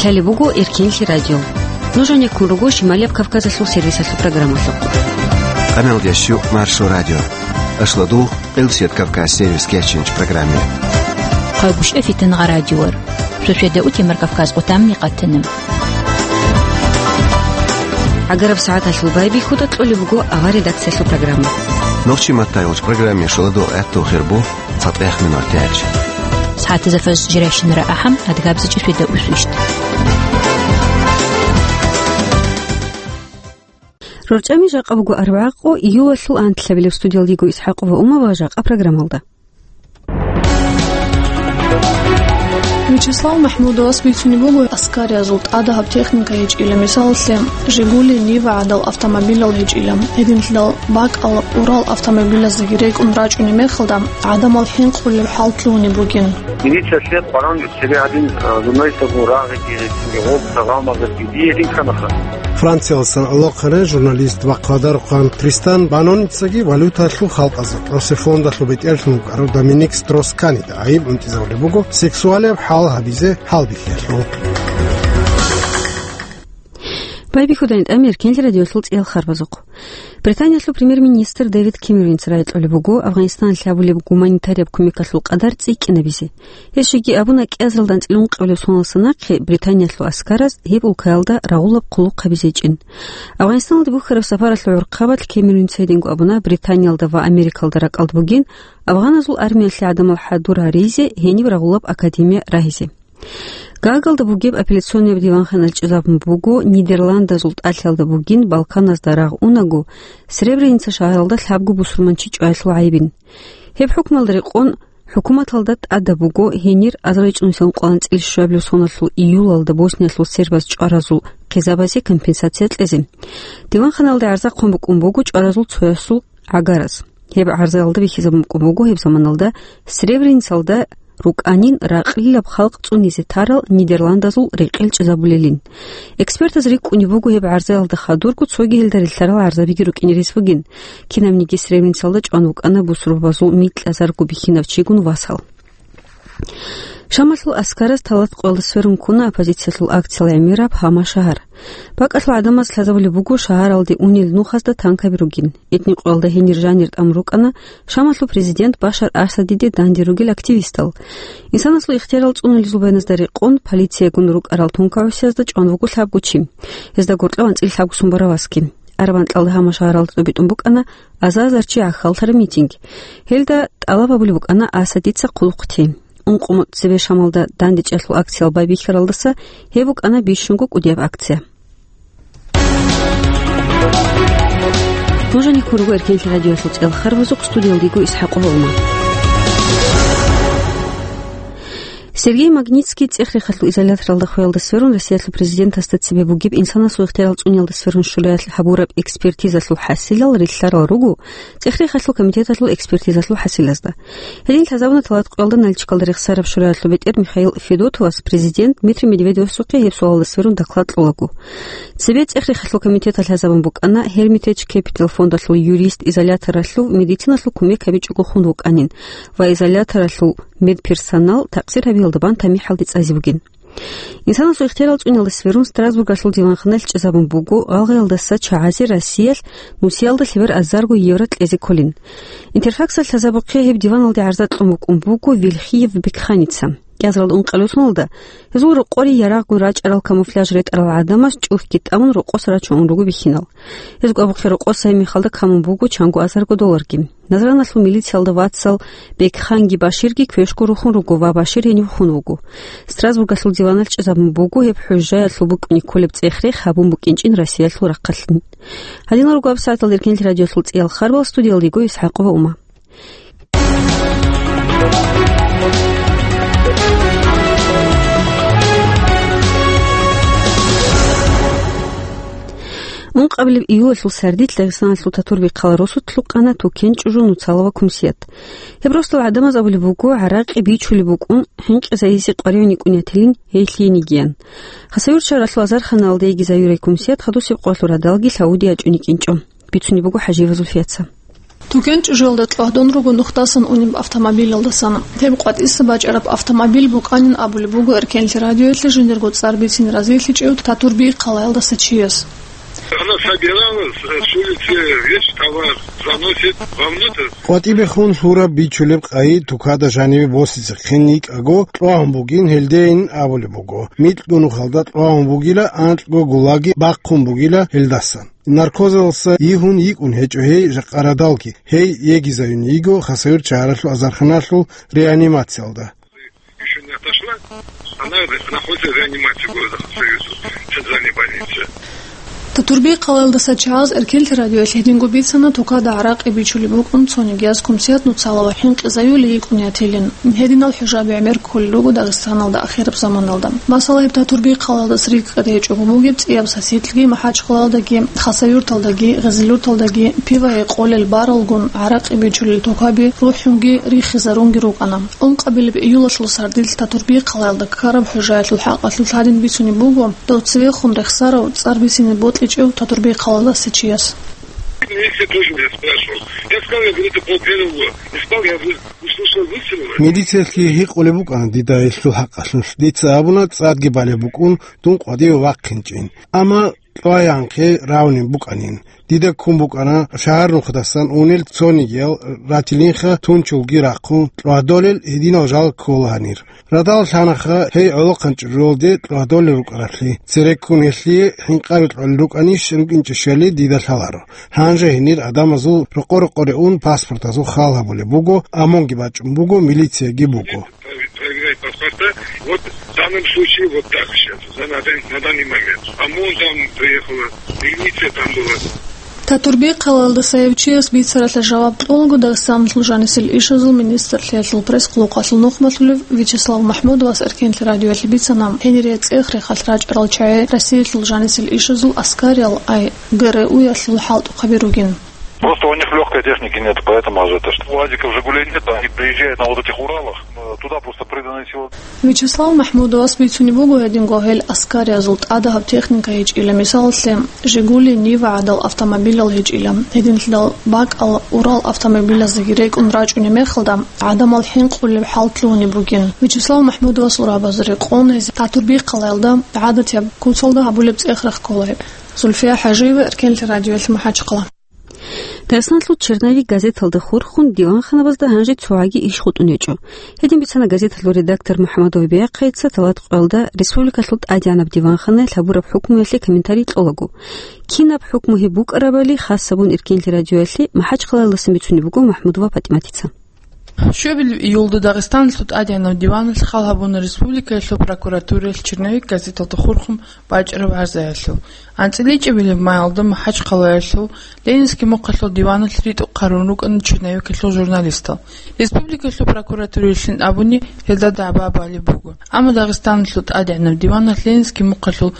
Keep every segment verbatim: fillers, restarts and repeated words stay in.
Лъалеб буго Эркенлъи радио. Нуж гьанеккун руго Шималияб Кавказалъул сервисалъул программалъухъ. Къаналдеш щук Маршо радио. Ашлодул Къилсият Кавказ сервис кечинч программе. Къагушев Фитангъа радиор. Суседа утемар Кавказ къутамни къатанам. ГӀагараб сагӀаталъул байбихьуда кьолеб буго авар редакциялъул программа. Нохчи маттай уч программе шоладо гӀатту хирбу цатӀех минур тяч. СагӀатаза фаз жирайщинара ахӀам адгабзачӀи суседа усвищ. РорчӀами жакъа буго арбагӀа къо июлалъул анлъабилеб. Студиялдего ИсхӀакъова Умава жакъа программалда. Вячеслав МахӀмудовас бицунеб буго аскариязул тӀадаб техника гьечӀила, мисалалъе, Жигули, Нива гӀадал автомобилал гьечӀила. Гьединлъидал бакӀал Урал автомобилаздаги рекӀун рачӀунеб мехалда, гӀадамал хӀинкъулеб хӀал лъугьунеб бугин. Милициялъе къваран цебе гьадин, а, журналистазул рагъиги, гъоб сагъамазаги дие гьедин кканаха. Франциялдасан гӀолохъанай журналист ва хъвадарухъан Тристан Баноницаги валюталъул халкъазул тӀосе фондалъул бетӀерлъун вукӀарав Доминик Строс-Канида гӀайиб унтӀизарулеб буго сексуалияб хӀал гьабизе хӀалбихьиялъул. Байбихьудайин тӀамир Эркенлъи радиолъул цӀиял харбазухъ. Британиялъул премьер-министр Дэвид Кэмеронца рагӀи кьолеб буго Афганистаналъ гьабулеб гуманитарияб кумекалъул къадар цӀикӀкӀинабизе. Гьеб щиги абуна, кӀиазаралда анцӀила ункъабилеб соналдаса нахъе Британиялъул аскараз гьеб улкаялда рагъулаб хъулухъ гьабизечӀин. Афганистаналде бухьараб сапаралъул гӀурхъабалъ Кэмеронца гьединго абуна, Британиялда ва Америкалда ракӀалда бугин афганазул армиялъе гӀадамал хӀадур гьаризе гьениб рагъулаб академия рагьизе. Гаагалда бугеб апелляционияб диванханалъ чӀезабун буго, Нидерландазул тӀалъиялда бугин Балканазда рагъ унаго, Сребреница шагьаралда лъабго бусурманчи чӀваялъул гӀайибин. Гьеб хӀукмалда рекъон, хӀукуматалда тӀадаб буго гьенир азарилчӀунусиялда ункъоялда анцӀила щуабилеб соналъул июлалда Босниялъул сербаз чӀваразул хъизабазе компенсация кьезе. Диванханалде гӀарза хъван букӀун буго чӀваразул цоясул гӀагараз. Гьеб гӀарзаялда бихьизабун букӀун буго гьеб заманалда Сребреницалда рукӀанин ракьилаб халкъ цӀунизе тарал Нидерландазул рекъел чӀезабулелин. Экспертаз рикӀкӀунеб буго гьеб гӀарзаялда хадурго цоги гьелда рилълъарал гӀарзабиги рукӀине рес бугин. Кинабниги Сребреницалда чӀван вукӀана бусурбабазул микьазарго бихьинав чигун васал. Шамалъул аскараз Талат-къоялда сверун ккуна оппозициялъул акциял гӀемераб гьама шагьар. БакӀалъул гӀадамаз лъазабулеб буго шагьаралде унел нухазда танкаби ругин. Этни-къоялда гьенир жанир тӀамун рукӀана Шамалъул президент Башар Асадиде данде ругел активистал. Инсанасул ихтиярал цӀунулезул байназда рекъон, полициягун рукӀарал тункагӀусиязда чӀван вуго лъабго чи. Гьезда гьоркьоб анцӀила лъабго сумбаравасги. Араб анкьалда гьама шагьаралда тӀубитӀун букӀана аза-азар чи гӀахьаллъараб митинг. Гьелда тӀалаб гьабулеб букӀана Асадица хъулухъ тей. Ункъо мугӀ цебе Шамалда дандечӀалъул акциял байбихьаралдаса гьеб букӀана бищунго кӀудияб акция. Нуж гьанеккун руго Эркенлъи радиоялъул цӀиял харбазухъ, студиялдего ИсхӀакъова Ума. Сергей Магнитский цӀех-рехалъул изоляторалда хвеялда сверун Россиялъул президентасда цебе бугеб инсанасул ихтиярал цӀуниялда сверун шураялъ гьабураб экспертизалъул хӀасилал рилълъарал руго цӀех-рехалъул комитеталъул экспертизалъул хӀасилазда. Гьедин лъазабуна Талат-къоялда Нальчикалда рехсараб шураялъул бетӀер Михаил Федотовас президент Дмитрий Медведевасухъе гьеб суалалда сверун доклад кьолаго. Цебе цӀех-рехалъул комитеталъ лъазабун букӀана Hermitage Capital фондалъул юрист изоляторалъув медициналъул кумек гьабичӀого хун вукӀанин ва изоляторалъул медперсонал такъсир гьабиялда бан тамихӀалде цӀазе бугин. Инсанасул ихтиярал цӀуниялда сверун Страсбургалъул диванханалъ чӀезабун буго гъалгъиялдаса чагӀазе Россиялъ нусиялда лъебер азарго евро кьезе кколин. Интерфаксалъ лъазабухъе гьеб диваналде гӀарза кьун букӀун буго Вилхиев Бекханица. КӀиазаралда ункъабилеб соналда гьезул рокъоре ярагъго рачӀарал камуфляж ретӀарал гӀадамаз чӀухӀги тӀамун рокъоса рачун ун руго бихьинал. Гьезго абухъе рокъоса гьеб мехалда камун буго чанго азарго долларги. Назраналъул милициялда вацал Бекханги Баширги квешго рухун руго ва Башир гьенив хун вуго. Страсбургалъул диваналъ чӀезабун буго гьеб хӀужжаялъул букӀине кколеб цӀех-рех гьабун букӀинчӀин Россиялъул рахъалъ. Гьадинал руго гьаб сагӀаталда Эркенлъи радиолъул цӀиял харбал, студиялдего ИсхӀакъова Ума. Ункъабилеб июлалъул сардилъ Дагъистаналъул Татурбихъал росулъ лъукъана Тукен чӀужу, Нуцалова кумсият. Гьеб росдал гӀадамаз абулеб буго, гӀаракъи бичулеб букӀун, хӀинкъизайизе къваригӀун йикӀун ятилин гьей лъиенигиян. Хасавюрт шагьаралъул азарханалда йигизаюрай кумсият хадусеб къоялъул радалги лъавуди ячӀун йикӀинчӀо. Бицунеб буго ХӀажиева Зульфияца. Тукен чӀужуялда кьвагьдун руго нухдасан унеб автомобилалдасан. Гьеб къватӀиса бачӀараб автомобиль букӀанин абулеб буго Эркенлъи радиоялъе жиндирго цӀар бицине разилъичӀев Татурби хъалаялдаса чияс. Она собиралась, э, с улицы весь товар заносит вовнутрь. КъватӀибехун лъураб бичулеб къайи тукада жаниве босизехъин йикӀаго кьвагьун бугин гьелдейин абулеб буго. Микьгунухалда кьвагьун бугила, анкьго гулаги бахъун бугила гьелдасан. Наркозалса йигьун йикӀун гьечӀо гьей жакъа радалги. Гьей йигизаюн йиго Хасавюрт шагьаралъул азарханалъул реанимациялда. Ещё не отошла. Она находится в реанимации города Хасавюрта, в центральной больнице. Татурби хъалаялдаса чагӀаз Эркенлъи радиоялъ гьединго бицана, тукада гӀаракъи бичулеб букӀун цониги яз кумсият нуцала ва хӀинкъизаюлей йикӀун ятилин. Гьединал хӀужаби гӀемер кколел руго Дагъистаналда ахираб заманалда. Масала, гьеб Татурби хъалаялдаса рикӀкӀад гьечӀого бугеб цӀияб сасилъги МахӀачхъалаялдаги, Хасавюрталдаги, Гъезилюрталдаги пивае къолел баралгун гӀаракъи бичулел тукаби рухӀунги рихизарунги рукӀана. Ункъабилеб июлалъул сардилъ Татурби хъалаялда ккараб хӀужаялъул хӀакъалъулъ гьадин бицунеб буго, дов цевехун рехсарав, цӀар бицине бокьичӀев Татурби хъалаялдаса чияс. Милиция тоже меня спрашивал. Я сказал, я говорю, это пол первого. Не спал, я говорю, услышал выстрелы. Милициялъги гьикъулеб букӀана дида гьелъул хӀакъалъулъ. Дица абуна, цӀадги балеб букӀун, дун къвадиве вахъинчӀин. Амма кьваянхъе равнин букӀанин. Дида ккун букӀана шагьар нухдасан унел цонигиял ратилинха тунчулги рахъун кьвадолел гьединал жал ккола гьанир. Радал лъанаха гьей гӀолохъанчӀ ролде кьвадолел рукӀараблъи, цереккун гьелъие хӀинкъаби кьолел рукӀанищ рукӀинчӀищали дида лъаларо. Гьанже гьенир гӀадамазул рокъо-рокъоре ун паспортазул хал гьабулеб буго, ОМОНги бачӀун буго, милицияги буго. Проверяют паспорта. Вот в данном случае вот так сейчас, за на дан-, на данный момент. ОМОН там приехала, милиция там была. Татурби хъалаялдаса гьев чияс бицаралъе жаваб кьулаго Дагъистаналъул жанисел ишазул министрлъиялъул пресс-къулухъалъул нухмалъулев Вячеслав МахӀмудовас Эркенлъи радиоялъе бицана, гьенире цӀех-рехалъ рачӀарал чагӀи Россиялъул жанисел ишазул Аскариялъ ай ГРУ-ялъул хӀалтӀухъаби ругин. Просто у них лёгкой техники нет, поэтому АЗТ, что УАЗиков, Жигулей нет, они приезжают на вот этих Уралах, э, туда просто приданной силы. Вячеслав МахӀмудовас бицунеб буго гьединго гьел Аскариязул тӀадаб техника гьечӀила, мисалалъе, Жигули, Нива гӀадал автомобилал гьечӀила. Гьединлъидал бакӀал Урал автомобилаздаги рекӀун рачӀунеб мехалда, гӀадамал хӀинкъулеб хӀал лъугьунеб бугин. Вячеслав МахӀмудовасул рагӀабазда рекъон гьез Татурби хъалаялда гӀадатияб куцалда гьабулеб цӀех-рех ккола гьеб. Зульфия ХӀажиева, Эркенлъи радиоялъ, МахӀачхъала. Дагъистаналъул «Черновик» газеталда хурхун диванханабазда гьанже цогӀаги иш хутӀун гьечӀо. Гьедин бицана газеталъул редактор МухӀаммадов Бяхъайица талат къоялда республикалъул тӀадегӀанаб диванханаялъ гьабураб хӀукмуялъе комментарий кьолаго. Кинаб хӀукму гьеб букӀарабали хас гьабун Эркенлъи радиоялъе МахӀачхъалаялдасан бицунеб буго МахӀмудова ПатӀиматица. Щобил июлда Дагъистаналъул тӀадегӀанаб диваналъ хал гьабуна республикаялъул прокуратураялъ «Черновик» газеталда хурхун бачӀараб гӀарзаялъул. АнцӀила ичӀабилеб майалда МахӀачхъалаялъул Ленинский мухъалъул диваналъ ритӀухъ гьарун рукӀана черновикалъул журналистал. Республикалъул прокуратураялъин абуни, гьелда дагӀба балеб буго. Амма Дагъистаналъул тӀадегӀанаб диваналъ Ленинский мухъалъул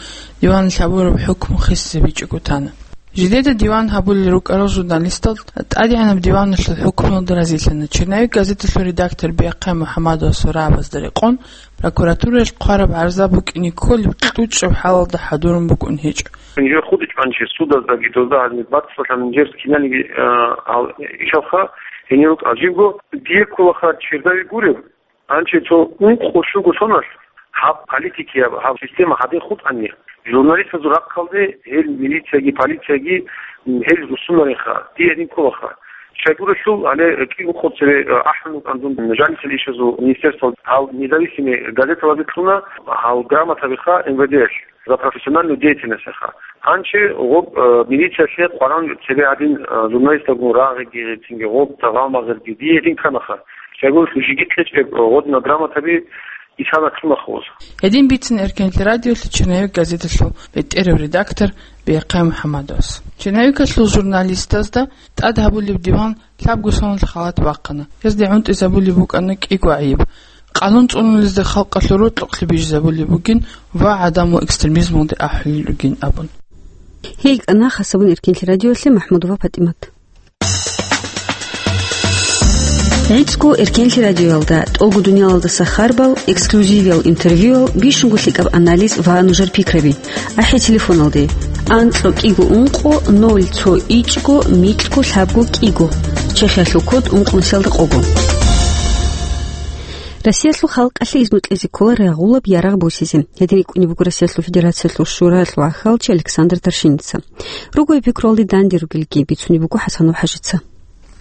диваналъ гьабураб хӀукму хисизабичӀого тана. Жидеда диван гьабулел рукӀарал журналистал тӀадегӀанаб диваналъул хӀукмуялда разилъана. «Черновик» газеталъул редактор Биахъай МухӀаммадовасул рагӀабазда рекъон, прокуратураялъ хъвараб гӀарза букӀине кколеб кьучӀаб хӀалалда хӀадурун букӀун гьечӀо. Гьанже хутӀичӀ гьанже судаздаги дозда гьаниб бацӀцӀалъан гьанже киналги, а, гьал ишалха гьенир рукӀа. Жибго дие кколаха чердави гуреб, гьанже цо ункъо щуго соналъ гьаб политикияб, гьаб система гьадин хутӀани. Журналистазул рахъалде гьел милицияги, полицияги, м, гьел руссунаринха, дие гьедин кколаха. Щайгурелъул гьале кӀиго-къо цебе, э, ахӀун вукӀан дун жанисел ишазул министерствоялъ гьал независимый газеталазе кьуна гьал грамотабиха МВД-ялъ за профессиональную деятельностьха. Гьанже гъоб, э, милициялъе къваран цебе гьадин, э, журналисталгун рагъиги, цинги гъоб тагъал-магъирги дие гьедин кканаха. Щайгурелъул жиги кьечӀеб, э, гъодина грамотаби исана кьуна хъуз. Гьедин бицин Эркенлъи радиолъи «Черновик» газеталъул бетӀерав редактор Биахъай МухӀаммадовас. Черновикалъул журналистазда тӀад гьабулеб диван лъабго соналъ халат бахъана. Гьезде гӀунтӀизабулеб букӀана кӀиго гӀайиб. Къалун цӀунулезда халкъалъул рокьукълъи бижизабулеб бугин ва гӀадамал экстремизмалде ахӀулел ругин абун. Гьей кӀана хас гьабун Эркенлъи радиоялъе МахӀмудова ПатӀимат. ГӀицӀго Эркенлъи радиоялда тӀолго дуниялалдаса харбал, эксклюзивиял интервьюял, бищунго лъикӀаб анализ ва нужер пикраби. АхӀе телефоналде: анкьа кӀиго ункъо ноль цо ичӀго микьго лъабго кӀиго. Чехиялъул код ункънусиялда къого. Россиялъул халкъалъе изну кьезе ккола рагъулаб ярагъ босизе. Гьедин рикӀкӀунеб буго Россиялъул Федерациялъул Шуралъул гӀахьалчи Александр Торшинница. Ругояб пикруялде данде ругелги бицунеб буго ХӀасанов ХӀажица.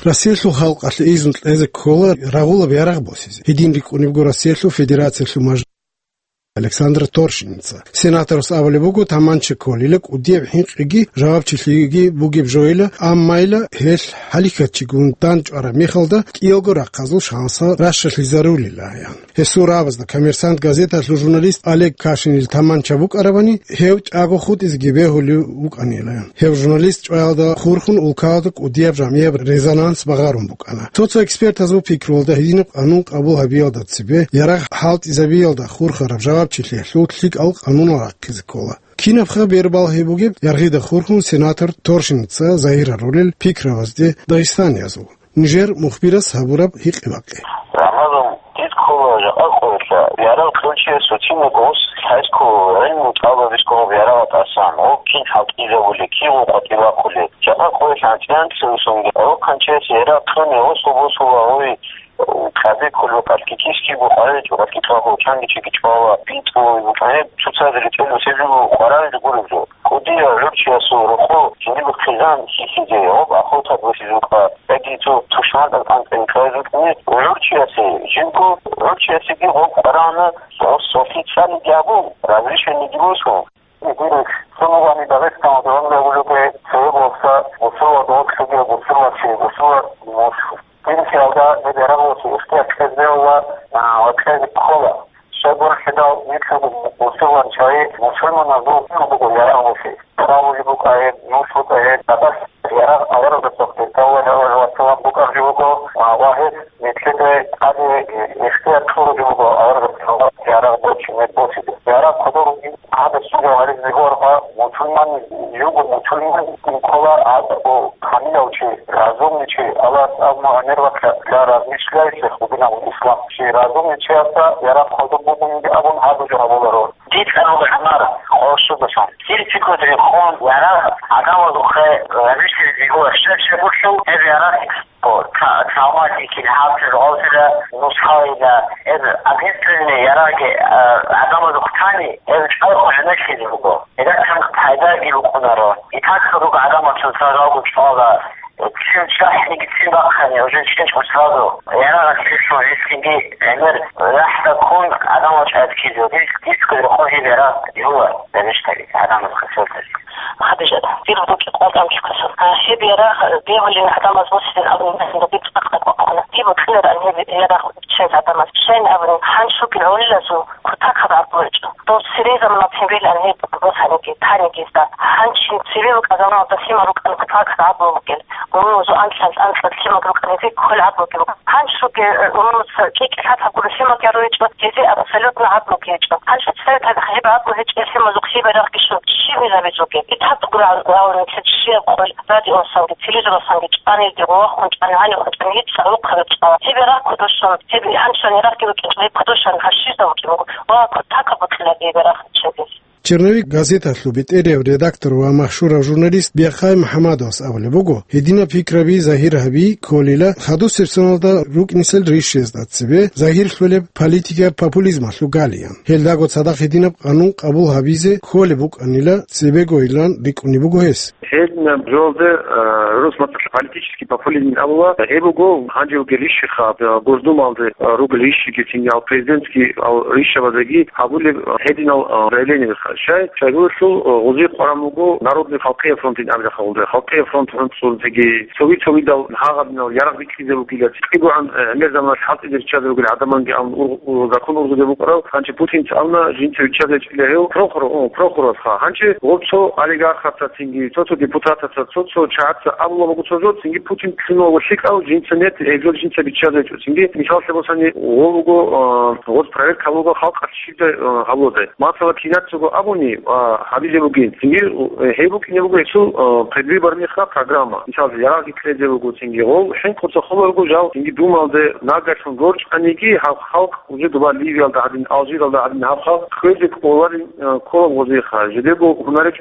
Россиялъул халкъалъе изну кьезе ккола рагъулаб ярагъ босизе. Гьедин рикӀкӀунеб буго Россиялъул Федерациялъул мажлис Александр Торшинница. Сенаторас абулеб буго, таманча кколила кӀудияб хӀинкъиги жавабчилъиги бугеб жойила, аммайила гьелъ хӀалихьатчигун дандчӀвараб мехалда кӀиялго рахъазул шансал ращалъизарулилаян. Гьесул рагӀабазда «Коммерсант» газеталъул журналист Олег Кашинил таманча букӀарабани, гьев тӀаго хутӀизеги бегьулев вукӀанилаян. Гьев журналист чӀваялда хурхун улкаялда кӀудияб жамгӀияб резонанс багъарун букӀана. Цо-цо экспертазул пикруялда гьединаб къанун къабул гьабиялда цебе ярагъ хӀалтӀизабиялда хурхараб жавабчилъиялъул лъикӀал къанунал рахъизе ккола. Кинабха бербалгьи бугеб яргъида хурхун сенатор Торшинница загьир гьарулел пикрабазде дагъистаниязул? Нижер мухбирас гьабураб гьикъи-бакъи. Рамазан, дид ккола жакъа къоялъ, ярагъ кьолчиясул цинги гъос лъайско гӀилму тӀалаб бихьулеб ярагъ тӀасан, гъо кин хӀалтӀизабулеб, кигъо къватӀиб бахъулеб. Жакъа къоялъ анцӀила-анцӀцӀулесунги гьоркьанчиясе ярагъ кьуни гъосул босула гъой, кьабе кколеб къалъкки киски букъаричӀо, къалъкки кьабул чанги чиги чӀвала, битӀулеб букӀаниб цоцаз ритӀел босеб жо къваригӀел гуреб жо. КӀудияв гӀурчиясул рокъо жиндиб хъизан хьихьизе, гъоб ахуртад босизе букӀа, яги цо тушман тӀад анцӀила кьезе букӀине гӀурчиясе, жибго гӀурчиясеги гъоб къваригӀана, гъос сорхи цӀаниги абун, разрешениеги босун. Гьединаб цо нугӀани Дагъистаналда гьанже абулеб буго, цеве болса бусурбабаз гъорлъ бугеб бусурбачи, бусурба мус. Гьелъиялда гьеб ярагъ босизе ихтияр кьезе бегьула, а, ва кьезе ккола. Щайгурелъул нилъго бусурбан чагӀи мусульманазул буго ярагъ босизе. Цо абулеб букӀа гьеб, нуш букӀа гьеб, гьаб ярагъ аварагасухъе, саллаллагьу гӀалайгьи ва саллам, букӀарулеб буго, а, ва гьес нилъеда тӀаде ихтияр кьурулеб буго аварагасухъе ярагъ босизе, босизе. Ярагъ кодоб бугин гьаб щибаб гьаризе бегьуларха, мусульман, юго мусульман ккола гьаб, о, камилав чи, разумный чи, Аллагьас абуна, гӀемер бакьа для размышляющих в динах ислам. Чи разумный чиясда ярагъ кодоб бугин абун гьаб жо гьабуларо. Дид кьарула гӀамар, къо щугасан. Дир пикру рехун, ярагъ гӀадамазухъе размышляй бегьула, щай-щай гурлъул, гьеб ярагъ О, тра-, травматикин, гьаб жо гъозила нусхайила, эб, огнестрельный ярагъги, а, гӀадамазухъ тани, эб чӀвайхъун гӀемерлъизе буго. Эдасан пайдаги букӀунаро. И тӀад руго гӀадамацун сразу чӀвала. Цин чӀахӀниги цин бахъани, уже чӀинчӀо сразу. Ярагъ лъилъун гьесиги гӀемер лахӀза ккун гӀадамал чӀвазе ккезе. Дис-, диско рехун гьеб ярагъ юла, гӀадамаз хасалдали. Хадижат, дир букӀи къватӀан чӀухъасан. А, гьеб ярагъ бегьулин гӀадамаз босилин абун мехалда дир цӀакъ бакӀвахъуна. Дир букӀинаран гьеб ярагъ чӀвазе гӀадамаз. Щайин абунин, гьанчуги гӀолилазул кутакаб гӀадлу гьечӀо. Дов цере заманалъ гьебилан гьеб босаниги, таниги гьезда. Гьанчин цеве букӀа заманалда лъимал рукӀан кутакаб гӀадлу бугел. Гьуну зу анлъан анкьад лъимал рукӀан гьезие кколеб гӀадлуги буго. Гьанчуги, э, гьуну ца кӀикӀ лъатаб гуро лъимал гьару гьечӀо, гьезие абсолютно гӀадлуги гьечӀо. Гьанчо цеве тагӀ гьеб гӀадлу гьечӀеб лъимазухъ гьеб ярагъги щун щиб гьабизеги. Итаб гуро гьавун нилъер щибаб къойил радиоялдасанги, телевизоралдасанги чӀванилги, гъовахун чӀван, гьанивхъун чӀван, гьеб цӀар рухъаб чӀвала. Гьеб ярагъ кодошан, гьеб гьанчо ярагъги букӀин, гьеб кодошан гьащизда букӀин буго. Ва кутакаб букӀинаги гьеб ярагъ чӀвазе. «Черновик» газеталъул бетӀерав редактор ва машгьурав журналист Бяхъай МухӀамадовас абулеб буго, гьединаб пикраби загьир гьаби кколила хадусеб соналда рукӀнилъел ришшизда цебе загьирлъулеб политикаб популизмалъул галиян. Гьелдаго цадахъ гьединаб къанун къабул гьабизе кколеб букӀанила цебегойилан рикӀкӀунеб буго гьес. Гьединаб жоялде, э, рус мацӀалъ политический популизм абула, гьеб буго гьанже вугел ришшиха, э, Госдумалде, э, ругел ришшиги, цинги ал президентский ал ришшабазеги гьабулеб гьединал, э, заявлениеха. Щай, щайгурелъул, э, гъозие къваран буго Народный халкъиял фронтин абилахъалда. Халкъиял фронт гӀунцӀурзеги, цоги-цогидал гьагъабинал ярагъ бикьизе бугила, цӀикӀкӀигогӀан, э, гӀемер заманалъ хӀалтӀизе риччазе ругел гӀадаманги абун ур-, у-, закон ургъузе букӀарав, гьанчи Путинца абуна, жинца виччазе чӀила гьев, прокурор, о, прокурорха. Гьанчи гъоб цо олигархаца цинги, цо-цо депутатаца, цо-цо чагӀаца абула буго цо жо, цинги Путин лъугьуна вуго лъикӀав, жинца нет, гьеб жо жинца биччазе чӀо. Цинги мисаллъи босани, гъо буго, а, гъоз проверка гьабула халкъалъ щибдай, а, гьабуладай. Масала, кинацаго абуни, а, гьабизе бугин. Цинги, э, гьеб букӀине буго гьесул, э, предвыборныйха программа. Мисалги, ярагъги кьезе буго, цинги гъол хӀинкъуца холарго жал, цинги Думалде нагагьлъун рорчӀаниги, гьав халкъ уже доба Ливиялда гӀадин, Алжиралда гӀадин гьав халкъ кквезе кӀоларин, э, кколаб гъозеха. Жидего гьунаречӀ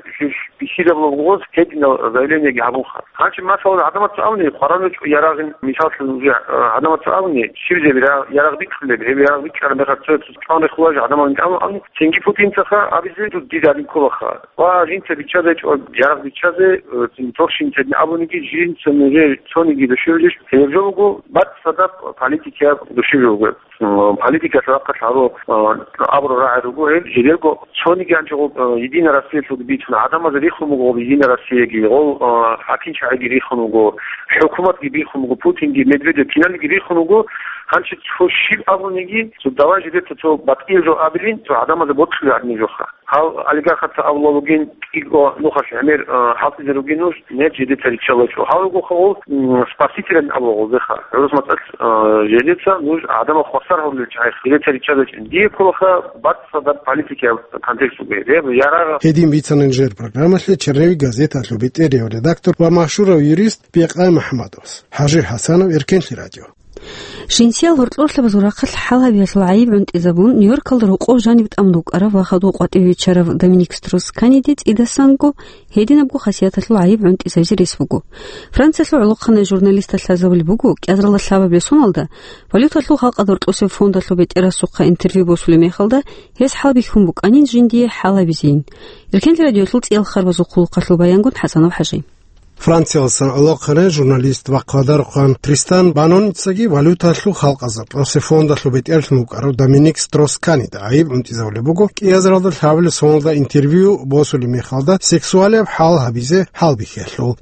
бихьизабулеб гъоз гьединал заявлениеги гьабунха. Гьанчи масала гӀадамаца абуни, хваран ручӀ ярагъин, мисаллъун, уже, э, гӀадамаца абуни, щиб жеб ра-, ярагъ бикьулеб, гьеб ярагъ бикьараб мехалъ цо-, цо-, цо-, чӀван рехуларищ гӀадамал абуни, цинги Путинцаха абизе, дуд дида гьадин кколаха. Ва жинца биччазе чӀван ярагъ биччазе, э, цин торщинцадин абуниги, жинца нужер цониги душевлъищ, гьеб жо буго, бацӀцӀадаб политикияб душевлъи буго. М, политикалъ рахъалъ гьару, а, абураб рагӀи руго гьел, жидерго цониги анчӀого, а, Единая Россиялъулги бицун, гӀадамазе рихун буго гъоб Единая Россияги, гъол, а, хӀакимчагӀиги рихун буго, хӀукуматги бихун буго, Путинги, Медведев киналги рихун буго, гьанчи цо щиб абуниги, цо давай жидер цо, цо батӀиял жо абилин, цо гӀадамазе бокьулеб гьадин жоха. Гьал олигархаца абула бугин, кӀиго нухалъ гӀемер, а, хӀалтӀизе ругин нуж, нет, жидеца риччалачӀо. Гьал ругоха гъол, м, спасителян абула гъолдеха. ГӀурус мацӀалъ, а, жидеца нуж гӀадамал хвасар гьавулел чагӀи, жидеца риччалачӀин. Дие кколаха бацӀцӀадаб политикияб контекст бугеб. Гьеб ярагъ. Гьедин бицана нижер программалъе Черневи газеталъул бетӀерияв редактор ва машгьурав юрист Бекъай МухӀаммадовас. ХӀажи ХӀасанов, Эркенлъи радио. Жинсиял гьоркьорлъабазул рахъалъ хӀалгьабиялъул гӀайиб гӀунтӀизабун, Нью-Йоркалда рукъов жанив тӀамун вукӀарав ва хадув къватӀив виччарав Доминик Строс-Каниде цӀидасанго гьединабго хасияталъул гӀайиб гӀунтӀизабизе рес буго. Франциялъул гӀолохъанай журналисталъ лъазабулеб буго, кӀиазаралда лъабабилеб соналда валюталъул халкъалда гьоркьосеб фондалъул бетӀерасухъа интервью босулеб мехалда, гьес хӀалбихьун букӀанин жиндие хӀалгьабизейин. Эркенлъи радиоялъул цӀиял харбазул хъулухъалъул баянгун ХӀасанов ХӀажи. Франциялдасан гӀолохъанай журналист ва хъвадарухъан Тристан Баноницаги валюталъул халкъалда гьоркьосеб фондалъул бетӀерлъун вукӀарав Доминик Строс-Канида гӀайиб гӀунтӀизабулеб буго, кӀиазаралда лъабабилеб соналда интервью босулеб мехалда сексуалияб хӀалгьабизе хӀалбихьиялъул.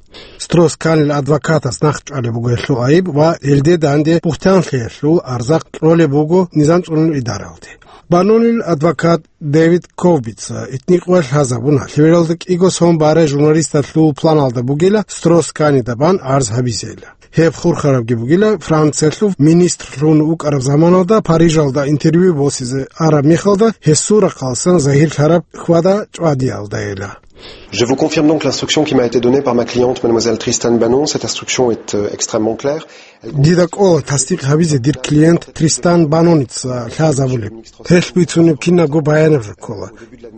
Строс-Канил адвокатас нахъчӀвалеб буго гьелъул гӀайиб ва гьелде данде бухӀтанлъиялъул арзакъ кьолеб буго низам цӀунул идаралде. Банонил адвокат Дэвид Ковбица итникъоялъ лъазабуна, лъебералда кӀиго сон барай журналисталъул планалда бугила Строс-Канида бан арз гьабизейилан. Гьеб хурхарабги бугила, Франциялъул министрлъун вукӀараб заманалда Парижалда интервью босизе араб мехалда гьесул рахъалъан загьирлъараб хьвада-чӀвадиялдайила. Je vous confirme donc l'instruction qui m'a été donnée par ma cliente, mademoiselle Tristan Banon. Cette instruction est, euh, extrêmement claire. Дида кӀола тасдикъ гьабизе дир клиент Тристан Баноница лъазабулеб. Гьелъ бицунеб кинабго баянаб жо ккола.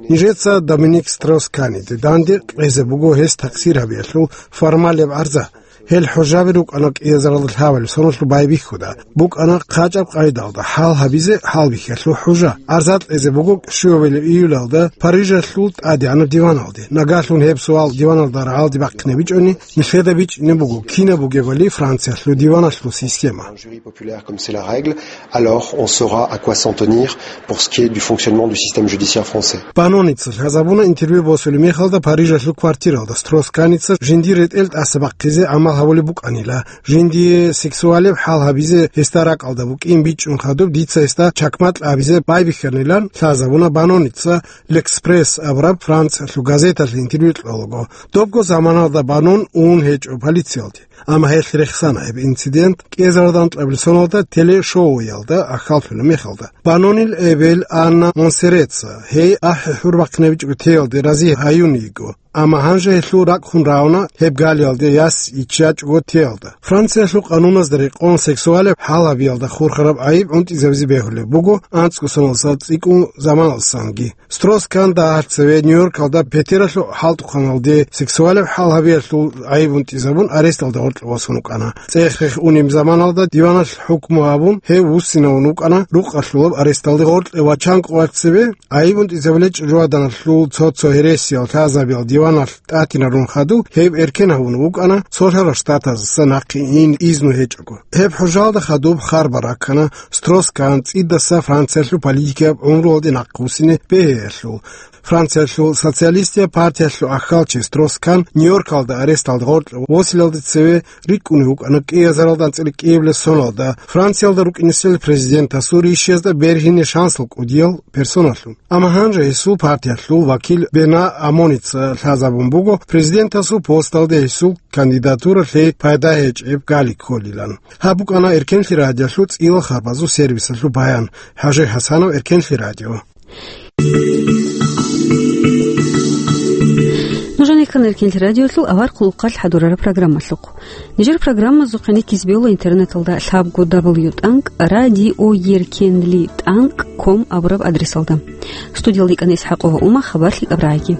Нижеца Доминик Строс-Каниде данде кьезе буго гьес такъсир гьабиялъул формалияб арза. Гьел хӀужаби рукӀана кӀиазаралда лъабабилеб соналъул байбихьуда. БукӀана хъачӀаб къайдалда хӀалгьабизе хӀалбихьиялъул хӀужа. Арза кьезе буго щуабилеб июлалда Парижалъул тӀадегӀанаб диваналде. Нагагьлъун гьеб суал диваналда рагӀалде бахъине бичӀони, нилъеда бичӀчӀине буго кинаб бугебали Франциялъул диваналъул система. Un jury populaire comme c'est la règle, alors on saura à quoi s'en tenir pour ce qui est du fonctionnement du système judiciaire français. Баноница лъазабуна интервью босулеб мехалда Парижалъул квартиралда Строс-Каница жиндир ретӀел тӀаса бахъизе гӀамал гьабулеб букӀанила. Жиндие сексуалияб хӀалгьабизе гьесда ракӀалда букӀин бичӀчӀун хадуб, дица гьесда чакмакь абизе байбихьанилан лъазабуна Баноница L'Express абураб Франциялъул газеталъе интервью кьолаго. Добго заманалда Банон ун гьечӀо полициялде. Амма гьелъ рехсана гьеб инцидент кӀиазаралда анкьабилеб соналда телешоуялда ахӀаллъулеб мехалда. Банонил эбел Анна Монсереца гьей ахӀи-хӀур бахъинабичӀого теялде рази гьаюн йиго. Амма гьанже гьелъул ракӀ хун равна гьеб галиялде яс иччачӀого теялда. Франциялъул къануназда рекъон сексуалияб хӀалгьабиялда хурхараб гӀайиб гӀунтӀизабизе бегьулеб буго анцӀго соналдаса цӀикӀкӀун заманалдасанги. Строс-Кан дагьалъ цеве Нью-Йоркалда петералъул хӀалтӀухъаналде сексуалияб хӀалгьабиялъул гӀайиб гьунтӀизабун аресталда гъоркье босун вукӀана. ЦӀех-рех унеб заманалда диваналъ хӀукму гьабун, гьев вуссинавун вукӀана рукъалъулаб аресталде гъоркье ва чанкӀуялъ цеве гӀайиб гьунтӀизабулел чӀужугӀаданалъул цо-цо гьересиял лъазабиял диваналъ тӀатинарун хадуб, гьев эркен гьавун вукӀана Цолъарал Штатаздаса нахъе ин изну гьечӀого. Гьеб хӀужалда хадуб харбар раккана Строс-Кан цӀидаса Франциялъул политикияб гӀумруялде нахъвуссине бегьиялъул. Франциялъул социалистияб партиялъул ахьалчи Строс-Кан Нью-Йоркалда аресталда гъоркье восилалде цеве рикӀкӀунев вукӀана кӀиазаралда анцӀила кӀиабилеб соналда Франциялда рукӀинесел президентасул ришязда бергьине шансал кӀудиял персоналъун. Амма гьанже гьесул партиялъул вакил Бена Амоница лъазабун буго президентасул посталде гьесул кандидатуралъе пайда гьечӀеб гали кколилан. Гьаб букӀана Эркенлъи радиолъул цӀила харбазул сервисалъул баян. ХӀажи ХӀасанов, Эркенлъи радио. ккана Эркенлъи радиолъул авар хъулухъалъ хӀадурараб программалъухъ. Нижер программазухъе никиз бегьула интернеталда лъабго дабл ю тӀанкӀ радиоеркенли тӀанкӀ ком абураб адресалда. Студиялда йикӀана Исхьакъова Ума, хабар лъикӀаб рагӀиги.